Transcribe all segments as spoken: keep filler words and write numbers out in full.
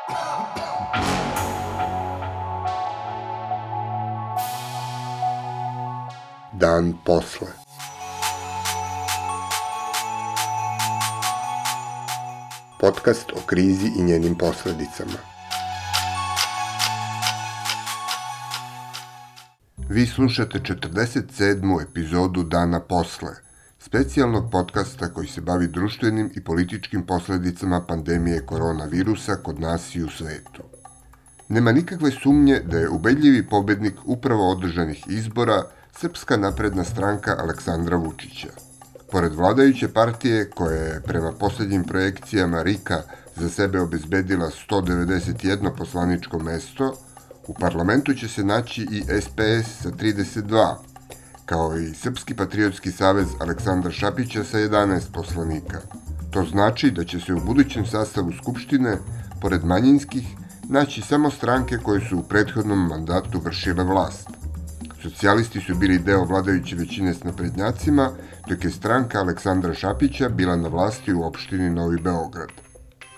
Dan posle. Podcast o krizi i njenim posledicama. Vi slušate četrdeset sedmu epizodu Dana posle, specijalnog podcasta koji se bavi društvenim i političkim posledicama pandemije koronavirusa kod nas i u svetu. Nema nikakve sumnje da je ubedljivi pobednik upravo održanih izbora Srpska napredna stranka Aleksandra Vučića. Pored vladajuće partije, koja je prema poslednjim projekcijama R I K-a za sebe obezbedila sto devedeset jedno poslaničko mesto, u parlamentu će se naći i S P S sa trideset dva, kao i Srpski patriotski savez Aleksandra Šapića sa jedanaest poslanika. To znači da će se u budućem sastavu Skupštine, pored manjinskih, naći samo stranke koje su u prethodnom mandatu vršile vlast. Socijalisti su bili deo vladajuće većine s naprednjacima, dok je stranka Aleksandra Šapića bila na vlasti u opštini Novi Beograd.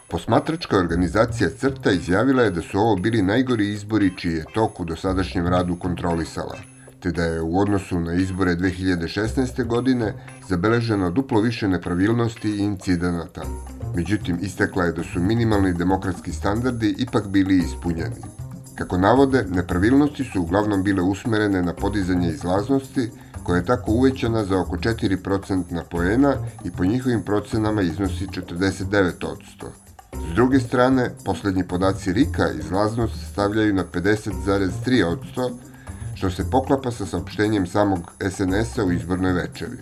Posmatračka organizacija CRTA izjavila je da su ovo bili najgori izbori čiji je tok u dosadašnjem radu kontrolisala, te da je u odnosu na izbore dve hiljade šesnaeste. godine zabeleženo duplo više nepravilnosti i incidenata. Međutim, istakla je da su minimalni demokratski standardi ipak bili ispunjeni. Kako navode, nepravilnosti su uglavnom bile usmerene na podizanje izlaznosti, koja je tako uvećana za oko četiri procentna poena i po njihovim procenama iznosi četrdeset devet posto. S druge strane, poslednji podaci R I K-a izlaznost stavljaju na pedeset zarez tri posto, što se poklapa sa saopštenjem samog S N S-a u izbornoj večeri.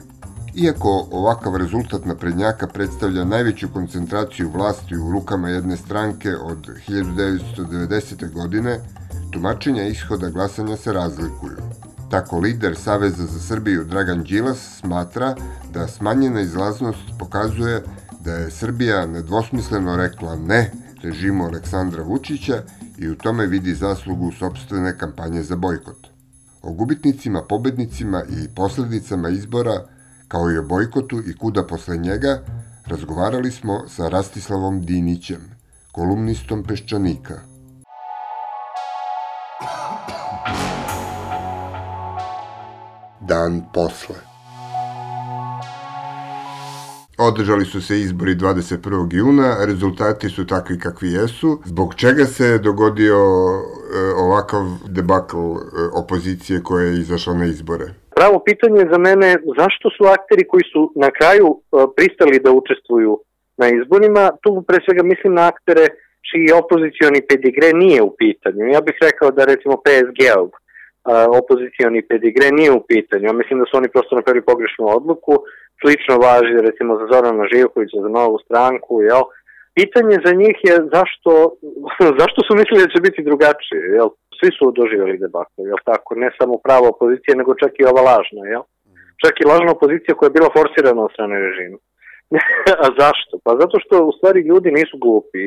Iako ovakav rezultat naprednjaka predstavlja najveću koncentraciju vlasti u rukama jedne stranke od hiljadu devetsto devedesete. godine, tumačenja ishoda glasanja se razlikuju. Tako lider Saveza za Srbiju Dragan Đilas smatra da smanjena izlaznost pokazuje da je Srbija nedvosmisleno rekla ne režimu Aleksandra Vučića i u tome vidi zaslugu sopstvene kampanje za bojkot. O gubitnicima, pobednicima i posledicama izbora, kao i o bojkotu i kuda posle njega, razgovarali smo sa Rastislavom Dinićem, kolumnistom Peščanika. Dan posle. Održali su se izbori dvadeset prvog juna, rezultati su takvi kakvi jesu. Zbog čega se dogodio e, ovakav debakl e, opozicije koja je izašla na izbore? Pravo pitanje za mene, zašto su akteri koji su na kraju e, pristali da učestvuju na izborima, tu pre svega mislim na aktere čiji opozicioni pedigre nije u pitanju. Ja bih rekao da recimo P S G-ov opozicioni pedigre nije u pitanju. Ja mislim da su oni prosto napravili pogrešnu odluku. Slično važi recimo za Zorana Živkovića, za Novu stranku, jel? Pitanje za njih je zašto, zašto su mislili da će biti drugačije, jel? Svi su doživjeli debakl, jel tako? Ne samo prava opozicija, nego čak i ova lažna, jel? Čak i lažna opozicija koja je bila forsirana od strane režima. A zašto? Pa zato što u stvari ljudi nisu glupi.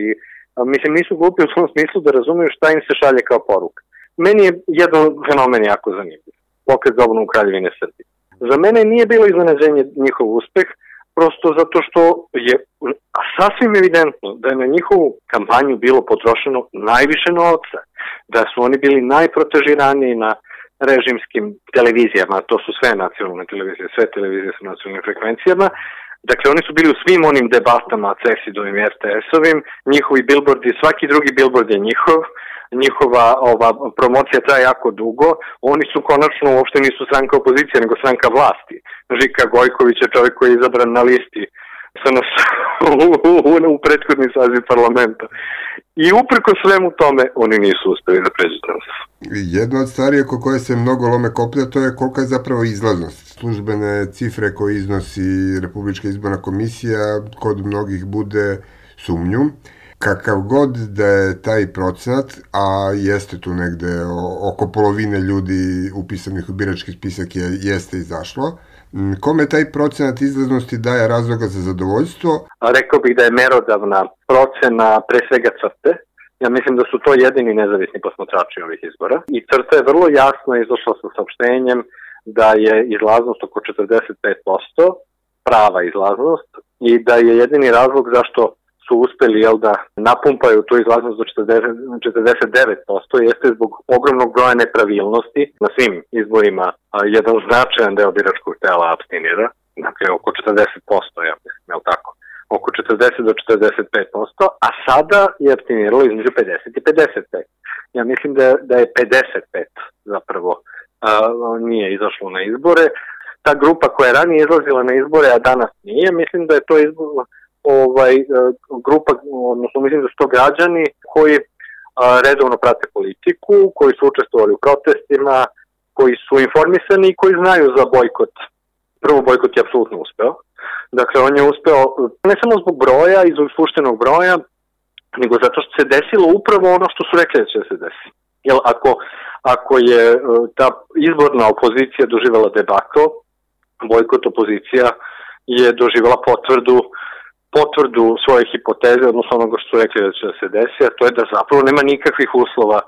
A, mislim, nisu glupi u tom smislu da razumiju šta im se šalje kao poruka. Meni je jedan fenomen jako zanimljiv. Pokret za obnovu Kraljevine Srbije. Za mene nije bilo iznenađenje njihov uspeh, prosto zato što je sasvim evidentno da je na njihovu kampanju bilo potrošeno najviše novca, da su oni bili najprotežiraniji na režimskim televizijama, to su sve nacionalne televizije, sve televizije sa nacionalnim frekvencijama. Dakle, oni su bili u svim onim debatama C E S I D-ovim i R T S-ovim, njihovi bilbordi, svaki drugi bilbord je njihov, njihova ova promocija traje jako dugo, oni su konačno uopšte nisu stranka opozicije, nego stranka vlasti. Žika Gojković je čovjek koji je izabran na listi sa nas u, u prethodni saziv parlamenta. I uprko svemu tome, oni nisu uspeli da pređu cenzus. Jedna od stvari oko koje se mnogo lome koplja, to je kolika je zapravo izlaznost. Službene cifre koje iznosi Republička izborna komisija kod mnogih bude sumnju. Kakav god da je taj procenat, a jeste tu negde oko polovine ljudi upisanih u birački spisak je, jeste izašlo, kome taj procenat izlaznosti daje razloga za zadovoljstvo? Rekao bih da je merodavna procena pre svega CRTE. Ja mislim da su to jedini nezavisni posmatrači ovih izbora. I CRTA je vrlo jasno izašla sa saopštenjem da je izlaznost oko četrdeset pet posto, prava izlaznost, i da je jedini razlog zašto su uspeli, jel, da napumpaju tu izlaznost do četrdeset devet posto jeste zbog ogromnog broja nepravilnosti na svim izborima. Jedan značajan deo biračkog tela apstinira, dakle oko četrdeset posto, ja mislim, jel tako? Oko četrdeset do četrdeset pet posto, a sada je apstiniralo između pedeset i pedeset pet. Ja mislim da, da je pedeset pet zapravo a, nije izašlo na izbore. Ta grupa koja je ranije izlazila na izbore, a danas nije, mislim da je to izbor, ovaj, grupa, odnosno mislim da su to građani koji a, redovno prate politiku, koji su učestvovali u protestima, koji su informisani i koji znaju za bojkot. Prvo, bojkot je apsolutno uspeo. Dakle, on je uspeo ne samo zbog broja i zbog spuštenog broja, nego zato što se desilo upravo ono što su rekli da će se desiti. Jer ako, ako je ta izborna opozicija doživjela debakl, bojkot opozicija je doživjela potvrdu potvrdu svoje hipoteze, odnosno onoga što su rekli da će se desiti, a to je da zapravo nema nikakvih uslova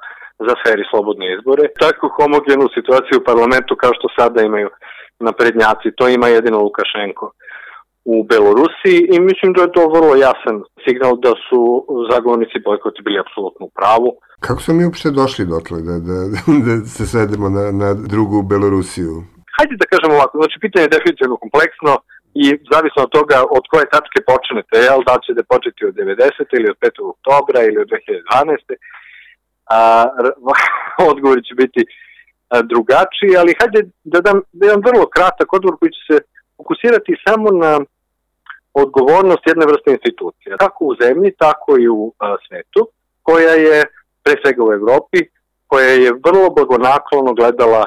za feri slobodne izbore. Tako homogenu situaciju u parlamentu kao što sada imaju naprednjaci, to ima jedino Lukašenko u Belorusiji i mislim da je to vrlo jasan signal da su zagovornici bojkota bili apsolutno u pravu. Kako smo mi uopšte došli dotle da, da, da se svedemo na, na drugu Belorusiju? Hajde da kažemo ovako, znači pitanje je definitivno kompleksno i zavisno od toga od koje tačke počnete, jel, da li ćete početi od devedesete ili od petog oktobra ili od dve hiljade dvanaeste. A, odgovori će biti a, drugačiji, ali hajde da dam jedan vrlo kratak odgovor koji će se fokusirati samo na odgovornost jedne vrste institucija, kako u zemlji, tako i u a, svetu, koja je, pre svega u Evropi, koja je vrlo blagonaklono gledala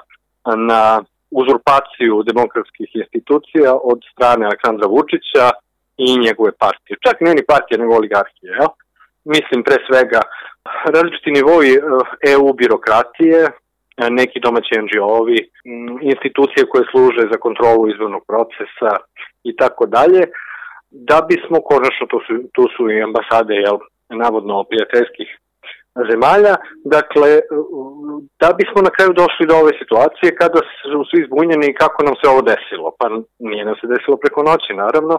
na uzurpaciju demokratskih institucija od strane Aleksandra Vučića i njegove partije. Čak ne ni partije, nego oligarhije. Jel? Mislim, pre svega, različiti nivoi E U birokratije, neki domaći en dži o-ovi, institucije koje služe za kontrolu izbornog procesa i tako dalje, da bismo, konačno, tu su, tu su i ambasade, jel, navodno prijateljskih zemalja, dakle, da bismo na kraju došli do ove situacije kada su svi zbunjeni kako nam se ovo desilo. Pa nije nam se desilo preko noći, naravno,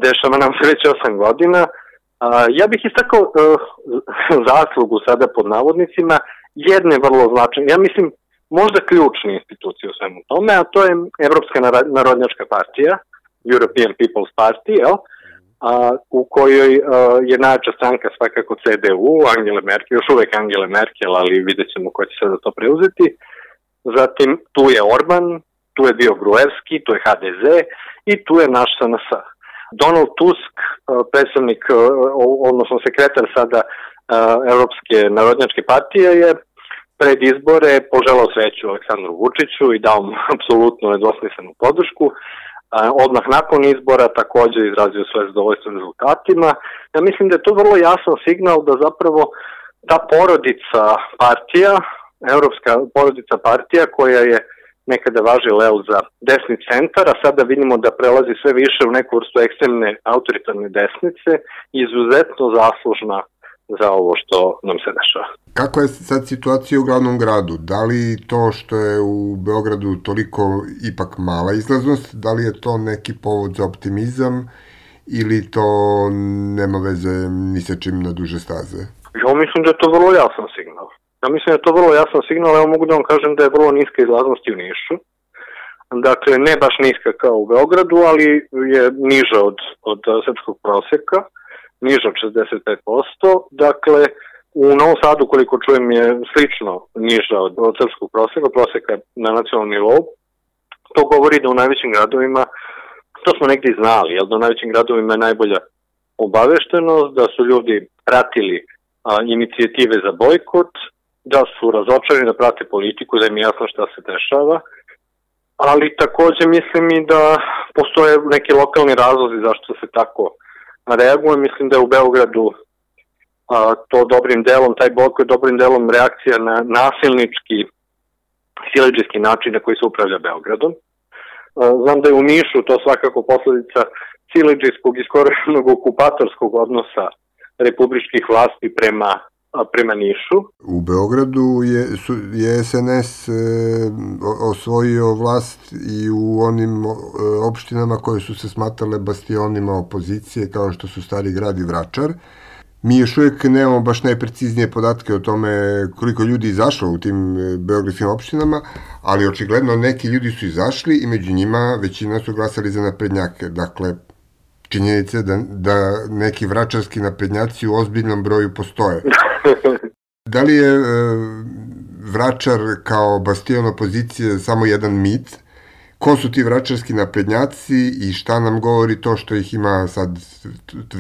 dešava nam se već osam godina. Ja bih istakao zaslugu sada pod navodnicima jedne vrlo značajne, ja mislim možda ključne institucije u svemu tome, a to je Evropska narodnjačka partija, European People's Party, jel? A, u kojoj a, je najjača stranka svakako ce de u, Angela Merkel, još uvek Angela Merkel, ali vidjet ćemo ko će sada to preuzeti. Zatim tu je Orban, tu je bio Gruevski, tu je ha de ze i tu je naš es en es. Donald Tusk, predstavnik, odnosno sekretar sada Evropske narodnjačke partije, je pred izbore poželao sreću Aleksandru Vučiću i dao mu apsolutno nedvosmislenu podršku. Odmah nakon izbora također izrazio svoje zadovoljstvo rezultatima. Ja mislim da je to vrlo jasan signal da zapravo ta porodica partija, evropska porodica partija koja je nekada važila za desni centar, a sada vidimo da prelazi sve više u neku vrstu ekstremne autoritarne desnice, izuzetno zaslužna za ovo što nam se dešava. Kako je sad situacija u glavnom gradu? Da li to što je u Beogradu toliko ipak mala izlaznost, da li je to neki povod za optimizam ili to nema veze ni sa čim na duže staze? Ja mislim da je to vrlo jasan signal. Ja mislim da je to vrlo jasan signal, evo mogu da vam kažem da je vrlo niska izlaznost i u Nišu. Dakle, ne baš niska kao u Beogradu, ali je niža od, od srpskog proseka, niža od šezdeset pet posto. Dakle, u Novom Sadu, koliko čujem, je slično niža od, od srpskog proseka, proseka na nacionalnom nivou. To govori da u najvećim gradovima, to smo negdje znali, jer da u najvećim gradovima je najbolja obaveštenost, da su ljudi pratili a, inicijative za bojkot, da su razočarani da prate politiku, da im je jasno šta se dešava, ali također mislim i da postoje neki lokalni razlozi zašto se tako reaguje. Mislim da je u Beogradu a, to dobrim delom, taj bojkot dobrim delom reakcija na nasilnički, siledžijski način na koji se upravlja Beogradom. A, znam da je u Nišu to svakako posledica siledžijskog i skoro okupatorskog odnosa republičkih vlasti prema prema Nišu. U Beogradu je, su, je es en es e, osvojio vlast i u onim e, opštinama koje su se smatrale bastionima opozicije, kao što su Stari grad i Vračar. Mi još uvijek nemamo baš najpreciznije podatke o tome koliko ljudi izašlo u tim beogradskim opštinama, ali očigledno neki ljudi su izašli i među njima većina su glasali za naprednjake. Dakle, činjenica da, da neki vračarski naprednjaci u ozbiljnom broju postoje. Da li je e, Vračar kao bastion opozicije samo jedan mit? Ko su ti vračarski naprednjaci i šta nam govori to što ih ima sad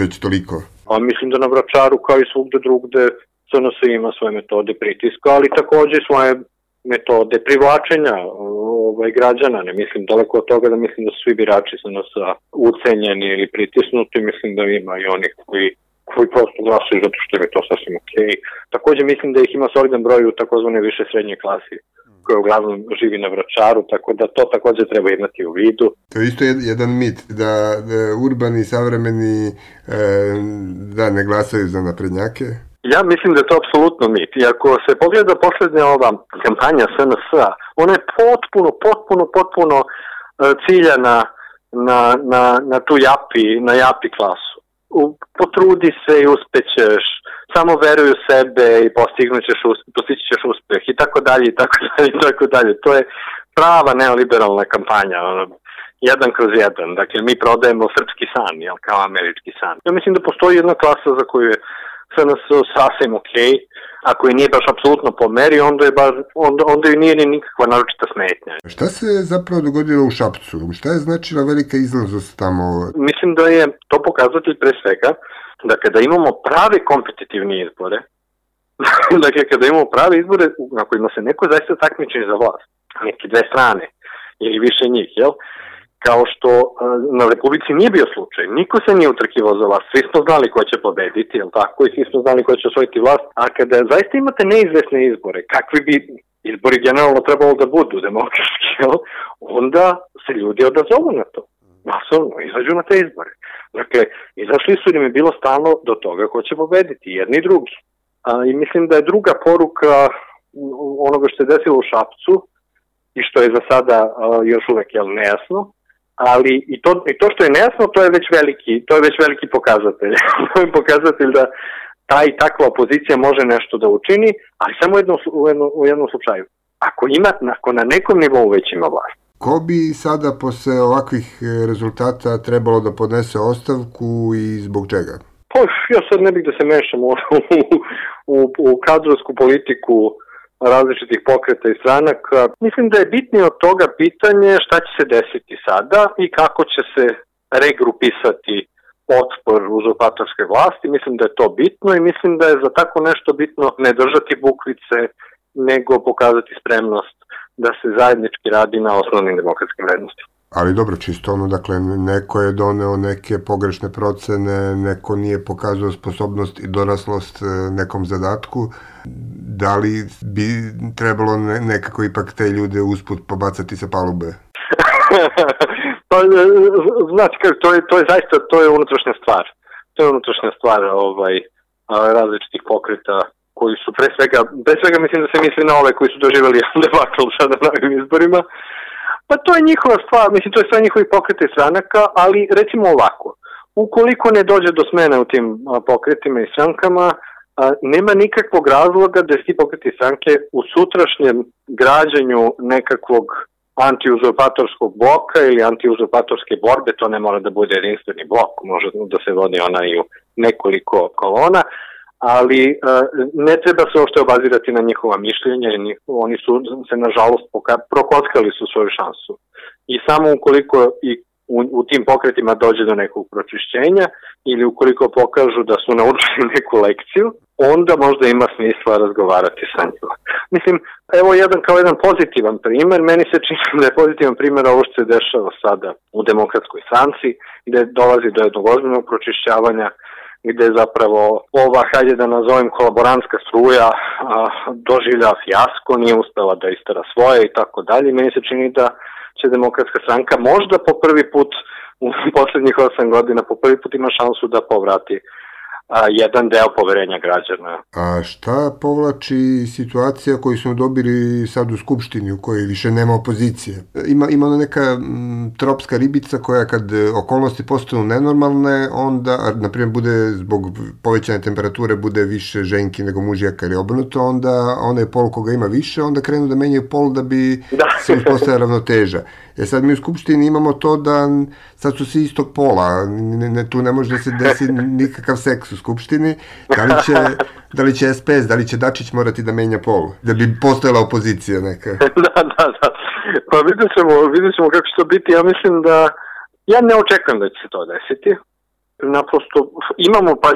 već toliko? A mislim da na Vračaru kao i svugde drugde es en es ima svoje metode pritiska, ali takođe svoje metode privlačenja ovaj, građana. Ne mislim daleko od toga da mislim da su svi birači es en es-a ucenjeni ili pritisnuti, mislim da ima i onih koji, koji prosto glasaju zato što je to sasvim okej. Takođe mislim da ih ima solidan broj u takozvane više srednje klasi, koja uglavnom živi na Vračaru, tako da to takođe treba imati u vidu. To je isto jedan mit, da, da urbani, savremeni e, da ne glasaju za naprednjake. Ja mislim da je to apsolutno mit. I ako se pogleda poslednja ova kampanja es en es-a, ona je potpuno, potpuno, potpuno ciljana na, na, na tu japi, na japi klasu. U, potrudi se i uspećeš, samo veruj u sebe i postignućeš, postići ćeš uspeh i tako dalje i tako dalje i tako dalje. To je prava neoliberalna kampanja, ono, jedan kroz jedan. Dakle, mi prodajemo srpski san, jel, kao američki san. Ja mislim da postoji jedna klasa za koju je es en es sasvim okej, ako je nije baš apsolutno po meri, onda je baš, onda, onda je nije ni nikakva naročita smetnja. Šta se zapravo dogodilo u Šapcu? Šta je značila velika izlaznost tamo? Mislim da je to pokazatelj pre svega, da kada imamo prave kompetitivne izbore, dakle kada imamo prave izbore na kojima se neko zaista takmiči za vlast, neke dve strane ili više njih, jel? Kao što na Republici nije bio slučaj. Niko se nije utrkivao za vlast. Svi smo znali ko će pobediti, jel tako? I svi smo znali ko će osvojiti vlast. A kada zaista imate neizvesne izbore, kakvi bi izbori generalno trebalo da budu demokratski, jel? Onda se ljudi odazovu na to. Masovno, izađu na te izbore. Dakle, izašli su im je bilo stalno do toga ko će pobediti, jedni i drugi. A, I mislim da je druga poruka onoga što je desilo u Šapcu i što je za sada a, još uvek jel, nejasno, ali i to, i to što je nejasno, to je već veliki, to je već veliki pokazatelj. To je pokazatelj da ta i takva opozicija može nešto da učini, ali samo jedno, u, jednom, u jednom slučaju. Ako ima, ako na nekom nivou već ima vlast. Ko bi sada posle ovakvih rezultata trebalo da podnese ostavku i zbog čega? Pa, ja sad ne bih da se mešam u, u, u kadrovsku politiku različitih pokreta i stranaka. Mislim da je bitnije od toga pitanje šta će se desiti sada i kako će se regrupisati otpor uzurpatorske vlasti. Mislim da je to bitno i mislim da je za tako nešto bitno ne držati bukvice, nego pokazati spremnost da se zajednički radi na osnovnim demokratskim vrednostima. Ali dobro, čisto ono, dakle, neko je doneo neke pogrešne procene, neko nije pokazao sposobnost i doraslost nekom zadatku. Da li bi trebalo nekako ipak te ljude usput pobacati sa palube? Pa, znači, to je, to je zaista, to je unutrašnja stvar. To je unutrašnja stvar ovaj, različitih pokreta koji su pre svega, pre svega mislim da se misli na ove koji su doživjeli debakl sada na ovim izborima. Pa to je njihova stvar, mislim, to je sve njihovi pokrete i stranaka, ali recimo ovako, ukoliko ne dođe do smene u tim pokretima i strankama, a, nema nikakvog razloga da ti pokreti i stranke u sutrašnjem građenju nekakvog antiuzurpatorskog bloka ili antiuzurpatorske borbe, to ne mora da bude jedinstveni blok, može da se vodi ona i u nekoliko kolona, ali uh, ne treba se uopšte obazirati na njihova mišljenja i njih, oni su se nažalost poka- prokockali su svoju šansu. I samo ukoliko i u, u tim pokretima dođe do nekog pročišćenja ili ukoliko pokažu da su naučili neku lekciju, onda možda ima smisla razgovarati sa njima. Mislim, evo jedan kao jedan pozitivan primer, meni se čini da je pozitivan primer ovo što se dešava sada u Demokratskoj stranci, gde dolazi do jednog ozbiljnog pročišćavanja, gde zapravo ova, hajde da nazovem, kolaborantska struja a, doživlja fijasko, nije uspela da istara svoje i tako dalje. Meni se čini da će Demokratska stranka možda po prvi put u poslednjih osam godina po prvi put ima šansu da povrati a, jedan deo poverenja građana. A šta povlači situacija koju smo dobili sad u Skupštini u kojoj više nema opozicije? Ima, ima ona neka m, tropska ribica koja kad okolnosti postanu nenormalne, onda, na primjer, bude zbog povećane temperature bude više ženki nego mužjaka ili obrnuto, onda onaj pol koga ima više, onda krenu da menjaju pol da bi da. se uspostavila ravnoteža. E sad mi u Skupštini imamo to da sad su svi istog pola, ne, ne, tu ne može da se desi nikakav seks u Skupštini. Da li će, da li će S P S, da li će Dačić morati da menja pol, da bi postojala opozicija neka? Da, da, da. Pa vidjet ćemo, vidjet ćemo kako će to biti. Ja mislim da, ja ne očekujem da će se to desiti. Naprosto imamo, pa,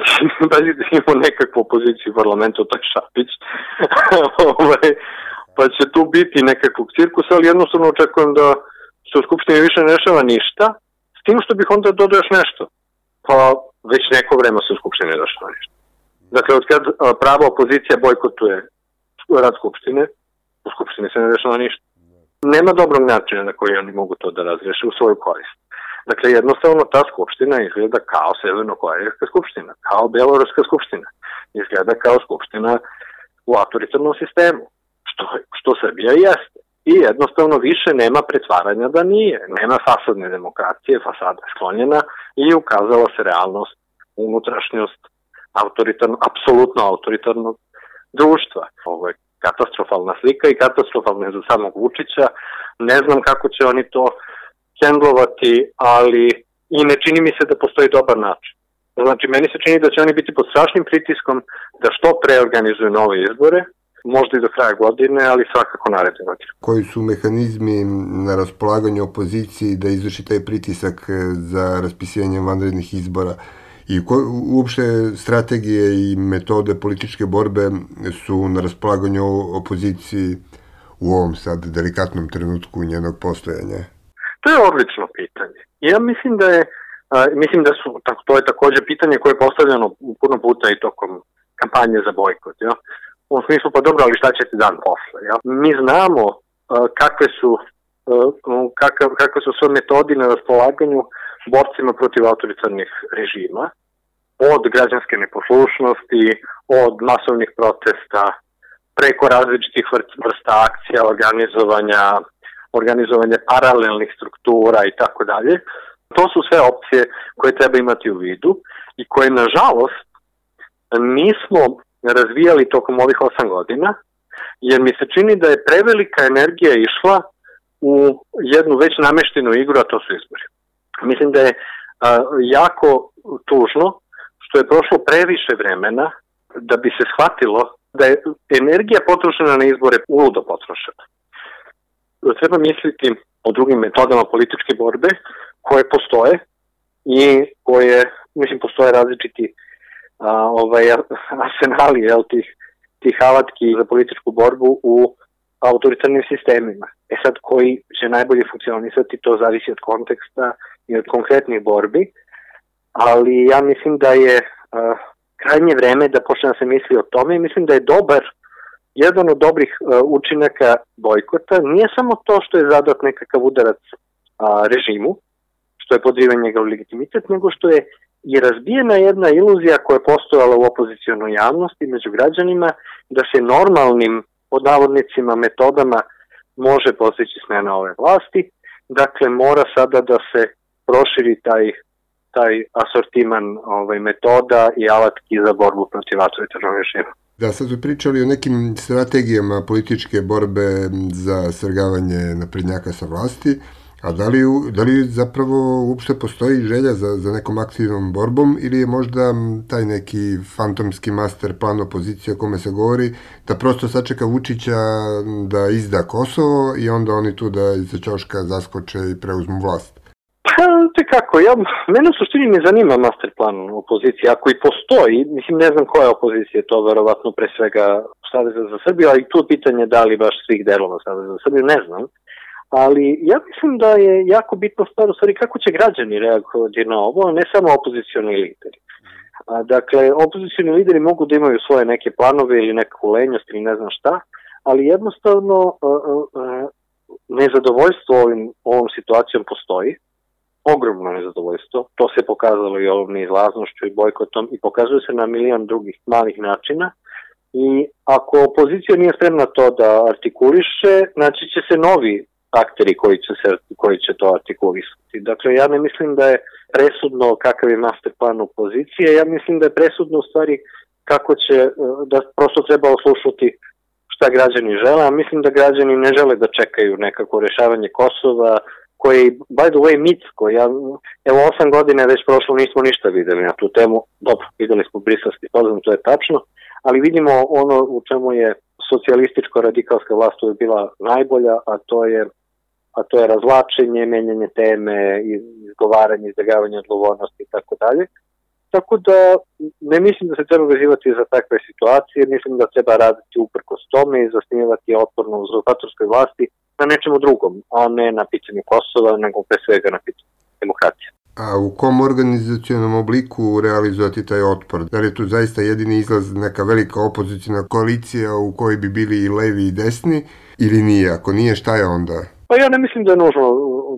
pa imamo nekakvu opoziciju u parlamentu, to je Šapić. Pa će tu biti nekakvog cirkusa, ali jednostavno očekujem da se u Skupštini više ne rešava ništa, s tim što bih onda dodao još nešto. Pa već neko vreme se u Skupštini ne rešava ništa. Dakle, od kad prava opozicija bojkotuje rad Skupštine, u Skupštini se ne rešava ništa. Nema dobrog načina na koji oni mogu to da razreše u svoju korist. Dakle, jednostavno ta Skupština izgleda kao Severno-Korejska skupština, kao Beloruska skupština. Izgleda kao skupština u autoritarnom sistemu, što, što Srbija jeste. I jednostavno više nema pretvaranja da nije. Nema fasadne demokracije, fasada je sklonjena i ukazala se realnost, unutrašnjost autoritarno, apsolutno autoritarnog društva. Ovo je katastrofalna slika i katastrofalna je za samog Vučića. Ne znam kako će oni to hendlovati, ali i ne čini mi se da postoji dobar način. Znači, meni se čini da će oni biti pod strašnim pritiskom da što pre organizuju nove izbore, možda i do kraja godine, ali svakako naredne godine. Koji su mehanizmi na raspolaganju opoziciji da izvrši taj pritisak za raspisivanje vanrednih izbora? I ko, uopšte strategije i metode političke borbe su na raspolaganju opoziciji u ovom sad delikatnom trenutku njenog postojanja? To je odlično pitanje. Ja mislim da je, a, mislim da su, to je takođe pitanje koje je postavljeno puno puta i tokom kampanje za bojkot. Ja? U smislu, pa dobro, ali šta će ti dan posle? Ja? Mi znamo a, kakve su a, kakav, kakve su sve metodi na raspolaganju borcima protiv autoritarnih režima, od građanske neposlušnosti, od masovnih protesta, preko različitih vrsta akcija, organizovanja, organizovanja paralelnih struktura i tako dalje. To su sve opcije koje treba imati u vidu i koje, nažalost, nismo razvijali tokom ovih osam godina, jer mi se čini da je prevelika energija išla u jednu već nameštenu igru, a to su izbori. Mislim da je a, jako tužno što je prošlo previše vremena da bi se shvatilo da je energija potrošena na izbore uludo potrošena. Treba misliti o drugim metodama političke borbe koje postoje i koje, mislim, postoje različiti a, ovaj, arsenali jel, tih, tih alatki za političku borbu u autoritarnim sistemima. E sad, koji će najbolje funkcionisati, to zavisi od konteksta i od konkretnih borbi, ali ja mislim da je uh, krajnje vreme da počne da se misli o tome i mislim da je dobar, jedan od dobrih uh, učinaka bojkota nije samo to što je zadat nekakav udarac uh, režimu, što je podriven njegov legitimitet, nego što je i razbijena jedna iluzija koja je postojala u opozicionoj javnosti među građanima da se normalnim, pod navodnicima, metodama može postići smena ove vlasti. Dakle, mora sada da se proširi taj taj asortiman ovaj, metoda i alatki za borbu protiv autoritarnog režima. Da, sad su pričali o nekim strategijama političke borbe za svrgavanje naprednjaka sa vlasti, a da li, da li zapravo uopšte postoji želja za, za nekom aktivnom borbom ili je možda taj neki fantomski master plan opozicije o kome se govori, da prosto sačeka Vučića da izda Kosovo i onda oni tu da iza ćoška zaskoče i preuzmu vlast? Pa, te kako, ja, mene u suštini ne zanima master plan opozicije, ako i postoji, mislim ne znam koja opozicija, to verovatno pre svega Saveza za Srbiju, ali tu pitanje da li baš svih delova Saveza za Srbiju, ne znam, ali ja mislim da je jako bitno stvar u stvari kako će građani reagovati na ovo, ne samo opozicioni lideri. A, dakle, opozicioni lideri mogu da imaju svoje neke planove ili neku lenjost ili ne znam šta, ali jednostavno a, a, a, nezadovoljstvo ovim, ovom situacijom postoji. ogromno nezadovoljstvo. To se pokazalo i ovom neizlaznošću i bojkotom i pokazuje se na milion drugih malih načina. I ako opozicija nije spremna to da artikuliše, znači će se novi akteri koji će, se, koji će to artikulisati. Dakle, ja ne mislim da je presudno kakav je master plan opozicije, ja mislim da je presudno u stvari kako će, da prosto treba oslušati šta građani žele, a mislim da građani ne žele da čekaju nekako rešavanje Kosova, koji, by the way, mitsko. Ja, evo, osam godina već prošlo, nismo ništa videli na tu temu. Dobro, videli smo briselski sporazum, to je tačno, ali vidimo ono u čemu je socijalističko-radikalska vlast uvijek bila najbolja, a to je a to je razvlačenje, menjanje teme, izgovaranje, izbjegavanje odgovornosti i tako dalje. Tako da ne mislim da se treba vezivati za takve situacije, mislim da treba raditi uprkos tome i zasnivati otporno u uzurpatorskoj vlasti na nečemu drugom, a ne na pitanju Kosova, nego pre svega na pitanju demokracije. A u kom organizacionom obliku realizovati taj otpor? Da li je tu zaista jedini izlaz neka velika opozicijna koalicija u kojoj bi bili i levi i desni, ili nije? Ako nije, šta je onda? Pa ja ne mislim da je, nužno,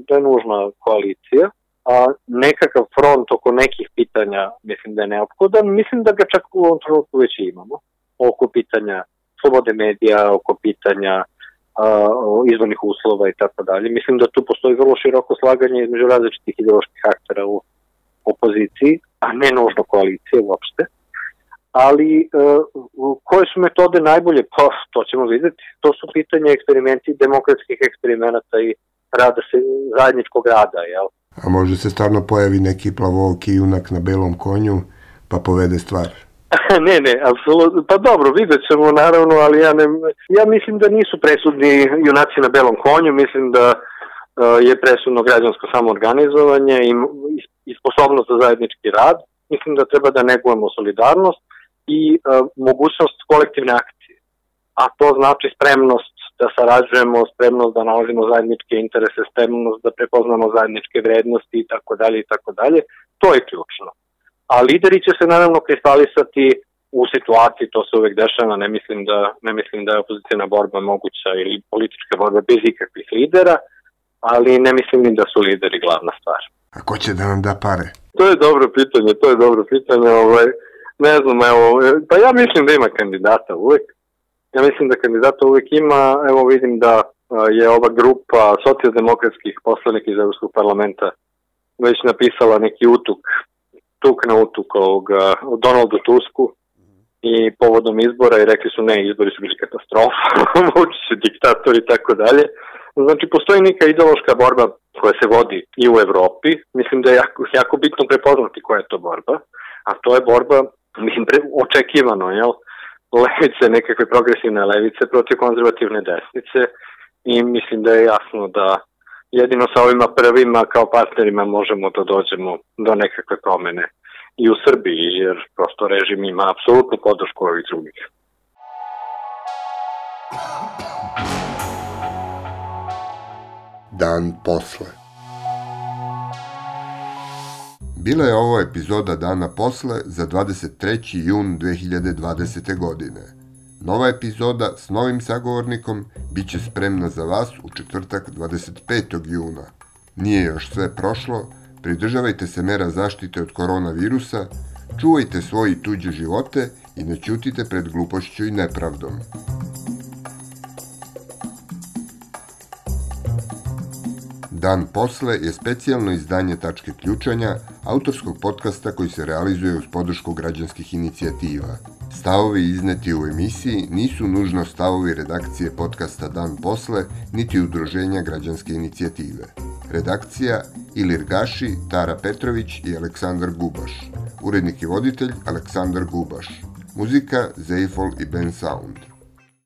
da je nužna koalicija, a nekakav front oko nekih pitanja mislim da je neophodan. Mislim da ga čak u ovom trenutku već imamo. Oko pitanja slobode medija, oko pitanja uh, izvornih uslova i tako dalje. Mislim da tu postoji vrlo široko slaganje između različitih ideoloških aktera u opoziciji, a ne nužno koalicije uopšte. Ali uh, koje su metode najbolje? Pa to ćemo vidjeti. To su pitanja eksperimenti, demokratskih eksperimenata i rada se, zajedničkog rada, jel? A može se stvarno pojavi neki plavooki junak na belom konju pa povede stvar? ne, ne, apsolutno. Pa dobro, vidjet ćemo naravno, ali ja, ne, ja mislim da nisu presudni junaci na belom konju, mislim da uh, je presudno građansko samoorganizovanje i, i sposobnost za zajednički rad. Mislim da treba da negujemo solidarnost i uh, mogućnost kolektivne akcije. A to znači spremnost da sarađujemo, spremnost da nalazimo zajedničke interese, spremnost da prepoznamo zajedničke vrednosti i tako dalje i tako dalje. To je ključno. A lideri će se naravno kristalisati u situaciji, to se uvek dešava, ne mislim da, ne mislim da je opozicijna borba moguća ili politička borba bez ikakvih lidera, ali ne mislim ni da su lideri glavna stvar. A ko će da nam da pare? To je dobro pitanje, to je dobro pitanje, ovaj, ne znam, evo, pa ja mislim da ima kandidata uvek. Ja mislim da kandidata uvek ima, evo vidim da je ova grupa socijaldemokratskih poslanika iz Evropskog parlamenta već napisala neki utuk, tuk na utuk ovoga, o Donaldu Tusku i povodom izbora i rekli su ne, izbori su bili katastrofa, Vučić je diktator i tako dalje. Znači, postoji neka ideološka borba koja se vodi i u Evropi, mislim da je jako, jako bitno prepoznati koja je to borba, a to je borba, mislim, pre, očekivano, jel? Levice, nekakve progresivne levice protiv konzervativne desnice i mislim da je jasno da jedino sa ovima prvima kao partnerima možemo da dođemo do nekakve promene i u Srbiji, jer prosto režim ima apsolutnu podršku ovih drugih. Dan posle. Bila je ovo epizoda Dana posle za dvadeset treći jun dve hiljade dvadesete. godine. Nova epizoda s novim sagovornikom bit će spremna za vas u četvrtak dvadeset petog juna. Nije još sve prošlo, pridržavajte se mera zaštite od koronavirusa, čuvajte svoje i tuđe živote i ne ćutite pred glupošću i nepravdom. Dan posle je specijalno izdanje Tačke ključanja, autorskog podcasta koji se realizuje uz podršku građanskih inicijativa. Stavovi izneti u emisiji nisu nužno stavovi redakcije podcasta Dan posle, niti udruženja građanske inicijative. Redakcija Ilir Gaši, Tara Petrović i Aleksandar Gubaš. Urednik i voditelj Aleksandar Gubaš. Muzika Zeifol i Ben Sound.